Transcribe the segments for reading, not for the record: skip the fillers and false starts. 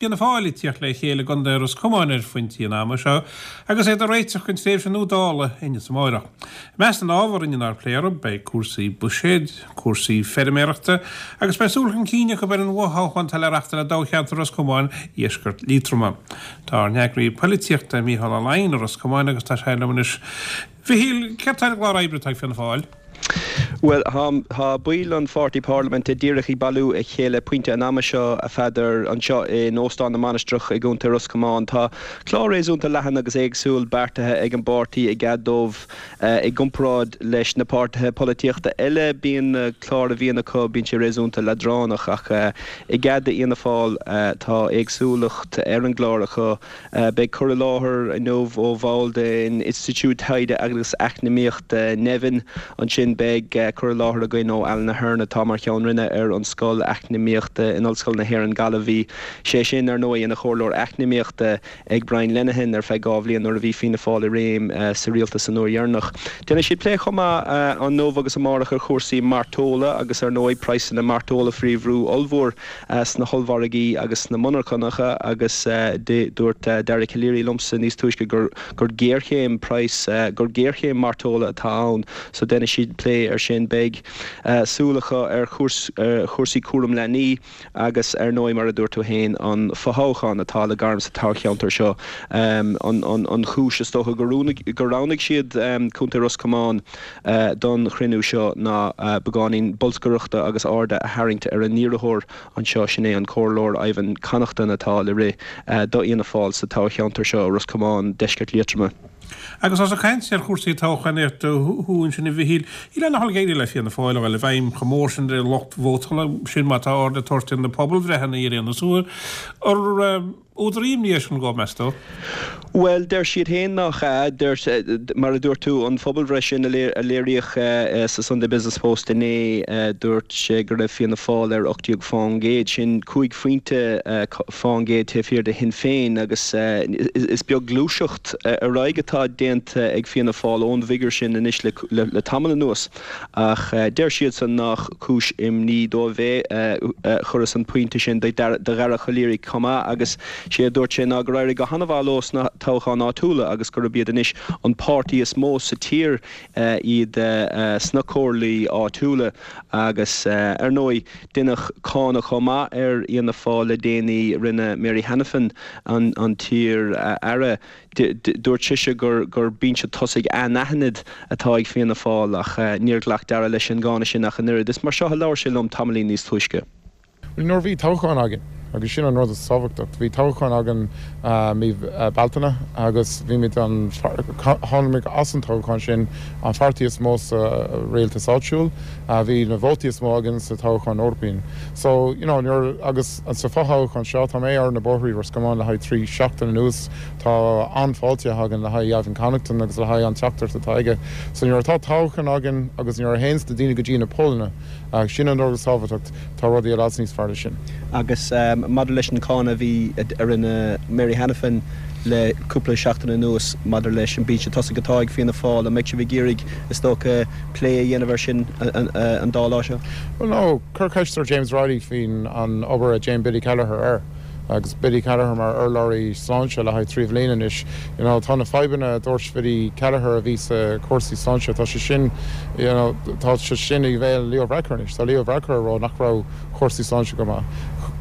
Fianna Fáil ag tíocht le chéile i gContae Ros Comáin ar phointí an ama seo agus iad ag réiteach don tréimhse nua Dála inniu is amáireach. I measc na n-ábhar inniu ar plé orthu beidh cúrsaí buiséid, cúrsaí feirmeoireachta agus beidh súil chun cinn acu ar an bhfothoghchán atá le reachtáil i dtoghcheantar Ros Comáin, Dheisceart Liatroma. Tá ár n-eagraí poilitíochta Mícheál Ó Laighin i Ros Comáin agus tá sé liom anois. Mhichíl, céard tá ar an gclár oibre atá ag Fianna Fáil? Bhuel, tá baill an pháirtí parlaiminte díreach ag bailiú a chéile pointe an ama seo, a Pheadair, anseo in Óstán na Mainistreach i gContae Ros Comáin. Tá clár réasúnta leathan agus éagsúil beartaithe ag an bpáirtí i gcead dóibh. I gcomparáid leis na páirtithe polaitíochta eile, bíonn na cláir a bhíonn acu, bíonn sé réasúnta leadránach ach i gcead d'Fhianna Fáil tá éagsúlacht ar an gclár acu. Beidh cur i láthair inniu ó bhall den Institiúid Taighde agus Eacnamaíochta Nevin. Ansin beidh cur i láthair againn ó Alan Ahern atá mar Cheann Roinne ar an Scoil Eacnamaíochta in Ollscoil na hÉireann, Gaillimh. Bhí sé sin, ar ndóigh, ina Chomhairleoir Eacnamaíochta ag Brian Lenihan ar feadh 2 bhliain nuair a bhí Fianna Fáil i réim sa rialtas an uair dheireanach. Déanfaidh siad plé chomh maith inniu agus amárach ar chúrsaí mairteola agus, ar ndóigh, praghsanna mairteola faoi bhrú ollmhór. sna hollmhargaí agus sna monarchanacha agus dúirt Dara Calleary liomsa níos túisce gur gur géarchéim praghas, gur géarchéim mairteola atá ann so déanfaidh siad plé ar sin. Beidh súil acu ar chúrsaí cúram leanaí agus ar ndóigh mar a dúirt tú féin an fothoghchán atá le gairm sa toghcheantar seo. An chúis is dócha gur roghnaigh siad Contae Ros Comáin don chruinniú seo ná beagáinín bolscaireachta agus airde a tharraingt ar a n-iarrthóir anseo, sin é an Comhairleoir Ivan Connaughton atá le rith do Fhianna Fáil sa toghcheantar seo, Ros Comáin, Deisceart Liatroma. Agus ós ag caint ar chúrsaí toghchánaíochta thú ansin a Mhichíl, shílfeá nach bhfuil ag éirí le Fianna Fáil a dhul i bhfeidhm chomh mór sin ar an lucht vótála, sin má tá aird le tabhairt ar na pobalbhreitheanna ar aon nós. Ar Údar imní é sin dhóibh, meas tú? Bhuel, deir siad féin nach ea. Deir, mar a dúirt tú, an phobalbhreith sin a léiríodh sa Sunday Business Post inné, dúirt sé go raibh Fianna Fáil ar 18 fán gcéad. Sin cúig phointe fán gcéad taobh thiar de Shinn Féin agus is beag gluaiseacht ar aghaidh atá déanta ag Fianna Fáil ón bhfigiúr sin anois le tamall anuas. Ach deir siadsan nach cúis imní dóibh é. Chuireas an pointe sin do Dhara Calleary chomh maith agus sé a dúirt sé ná gur éirigh go han-mhaith leo sna toghcháin áitiúla agus gurb iad anois an páirtí is mó sa tír iad sna comhairlí áitiúla. Agus ar ndóigh deineadh cáineadh chomh maith ar Fhianna Fáil le déanaí. Rinne Mary Hanafin, an t-iar-aire, Dúirt sise gur gur binse tosaigh anaithnid atá ag Fianna Fáil ach níor ghlac Dara leis an gcáineadh sin ach an oiread. Is mar seo a labhair sé liom tamaillín níos túisce. Bhuel, nuair a bhí toghchán againn, agus sin an rud is tábhachtach, bhí toghchán againn mí Bealtaine agus bhí muid an, tháinig muid as an toghchán sin an pháirtí is mó sa rialtas áitiúil, bhí na vótaí is mó againn sa toghchán Eorpach. So, you know, nuair, agus sa fothoghchán seo, tá mé ar na bóithrí Ros Comáin le haghaidh 3 seachtain anuas, Tá an-fháilte againn le haghaidh Ivan Connaughton agus le haghaidh an teachtaireacht atá aige. So nuair atá toghchán againn agus nuair a théanns na daoine go dtí na pollana, sin an rud is tábhachtach, tá rudaí i bhfad níos fearr leis sin. Agus maidir leis an cáineadh a bhí, a rinne Mary Hanafin le cúpla seachtain anuas maidir leis an binse tosaigh atá ag Fianna Fáil, an mbeidh sibh ag iarraidh, is dócha, plé a dhéanamh air sin an dá lá seo? Bhuel no, cuir ceist ar James Reilly faoin an obair a déan Billy Kelleher air. Agus Billy Kelleher mar urlabhraí sláinte le haghaidh 3 bhliain anois, you know, tá na fadhbanna a dúirt Billy Kelleher a bhí sa chúrsaí sláinte, tá sé sin, you know, tá sé sin i bhéal Leo Varadkar anois. Tá Leo Varadkar ag rá nach raibh chúrsaí sláinte go maith.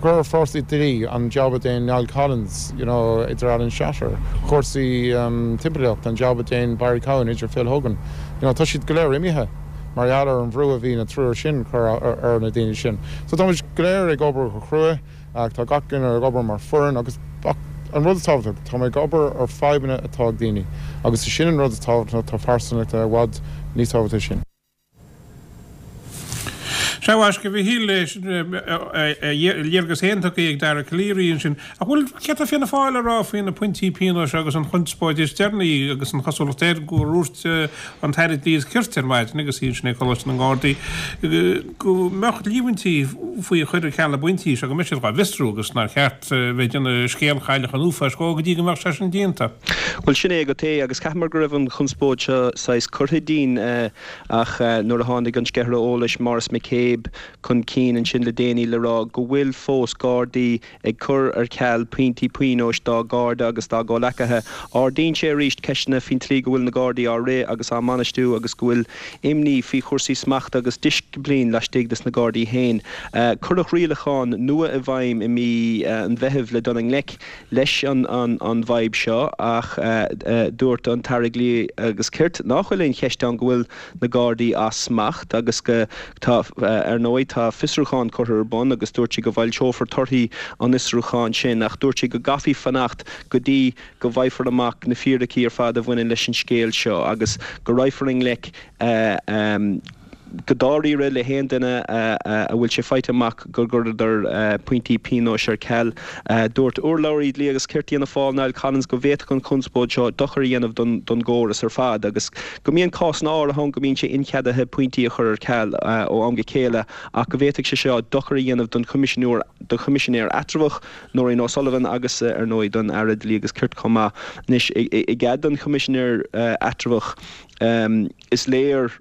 Cuir chúrsaí dlí, an jab a déan Niall Collins, you know, idir Alan Shatter, chúrsaí timpeallachta, an jab a déan Barry Cowen idir Phil Hogan, you know, tá siad go léir imithe mar gheall ar an bhrú a bhí na triúr sin cur ar na daoine sin. So tá muid go léir ag obair go crua. Ach tá gach duine ag obair mar foireann agus an rud is tábhachtach, tá mé ag obair ar fadhbanna atá ag daoine agus is sin an rud is tábhachtach, tá pearsanacht i bhfad níos tábhachtaí sin. Sea, a mhaisce, a Mhichíl, léargas féin tugtha ag Dara Calleary ansin. Ach bhuel, céard tá Fianna Fáil a rá faoi na pointí pionóis agus an chonspóid is deireanaí agus an chosúlacht air gur dhúirt an tAire Dlí is Cirt ar maidin agus í ansin ag Coláiste na nGardaí go mbeadh líomhaintí faoi chur ar ceal na bpointí seo, go mbeadh siad dhá bhfiosrú agus nár cheart bheith ag déanamh scéal Chailleach an Uafáis dhó go dtí go mbeadh sé sin déanta. Bhuel, sin é agat é, agus chaitheamar go raibh an chonspóid seo saghas curtha dínn, ach nuair a tháinig an sceithire eolais, Maurice McCabe. chéib chun cinn ansin le déanaí le rá go bhfuil fós Gardaí ag cur ar ceal pointí pionóis dá gcairde agus dá gcomhleacaithe. Ardaíonn sé arís ceisteanna faoin tslí go bhfuil na Gardaí á rith agus á mbainistiú agus go bhfuil imní faoi chúrsaí smachta agus disciplín laistigh des na Gardaí féin. Cuireadh rialacháin nua i bhfeidhm i mí an Mheithimh le dul i ngleic leis an bhfadhb seo ach dúirt an tAire Dlí agus Cirt nach bhfuil aon cheist ann go bhfuil na Gardaí as smacht agus go tá, ar ndóigh, tá fiosrúchán curtha ar bun agus dúirt sé go bhfoilseofar torthaí an fhiosrúcháin sin ach dúirt sé go gcaithfí fanacht go dtí go bhfaighfear amach na fíricí ar fad a bhaineann leis an scéal seo agus go raghfar i ngleic go dáiríre le haon duine a bhfuil sé faighte amach gur chuireadar pointí pionóis ar ceal. Dúirt urlabhraí Dlí agus Cirt Fhianna Fáil, Niall Collins, go bhféadfadh an chonspóid seo dochar a dhéanamh don gcóras ar fad agus go mbíonn cásanna áirithe ann go mbíonn sé incheadaithe pointí a chur ar ceal ó am go chéile ach go bhféadfadh sé seo dochar a dhéanamh don Choimisinéir Eatramhach, Nóirín O'Sullivan agus, ar ndóigh, don Aire Dlí agus Cirt chomh maith. Anois, i gcead don Choimisinéir Eatramhach, is léir,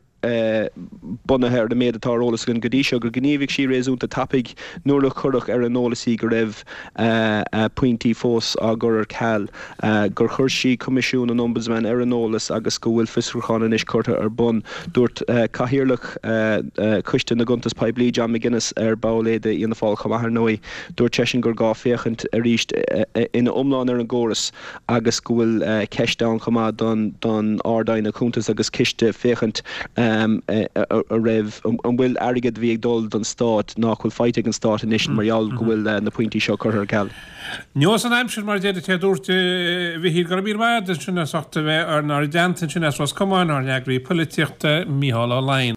bunaithe ar an méid atá ar eolas againn go dtí seo, gur ghníomhaigh sí réasúnta tapaidh nuair a cuireadh ar an eolas í go raibh pointí fós á gcur ar ceal, gur chuir sí Coimisiún an Ombudsman ar an eolas agus go bhfuil fiosrúchán anois curtha ar bun. Dúirt Cathaoirleach Choiste na gCuntas Poiblí, John McGuinness, ar ball é d'Fhianna Fáil chomh maith ar ndóigh, dúirt seisean gur gá féachaint arís ina iomlán ar an gcóras agus go bhfuil ceist ann chomh maith don Ard-Aighne Cuntas agus Ciste féachaint an raibh, an bhfuil airgead a bhí ag dul don Stát nach bhfuil faighte ag an Stát anois mar gheall go bhfuil na pointí seo curtha ar ceal. Nós an aimsir mar a deir an té a dúirt, a Mhichíl, go raibh míle maith agat ansin as ucht a bheith inár dteannta ansin as Ros Comáin, ár n-eagraí poilitíochta, Mícheál Ó Laighin.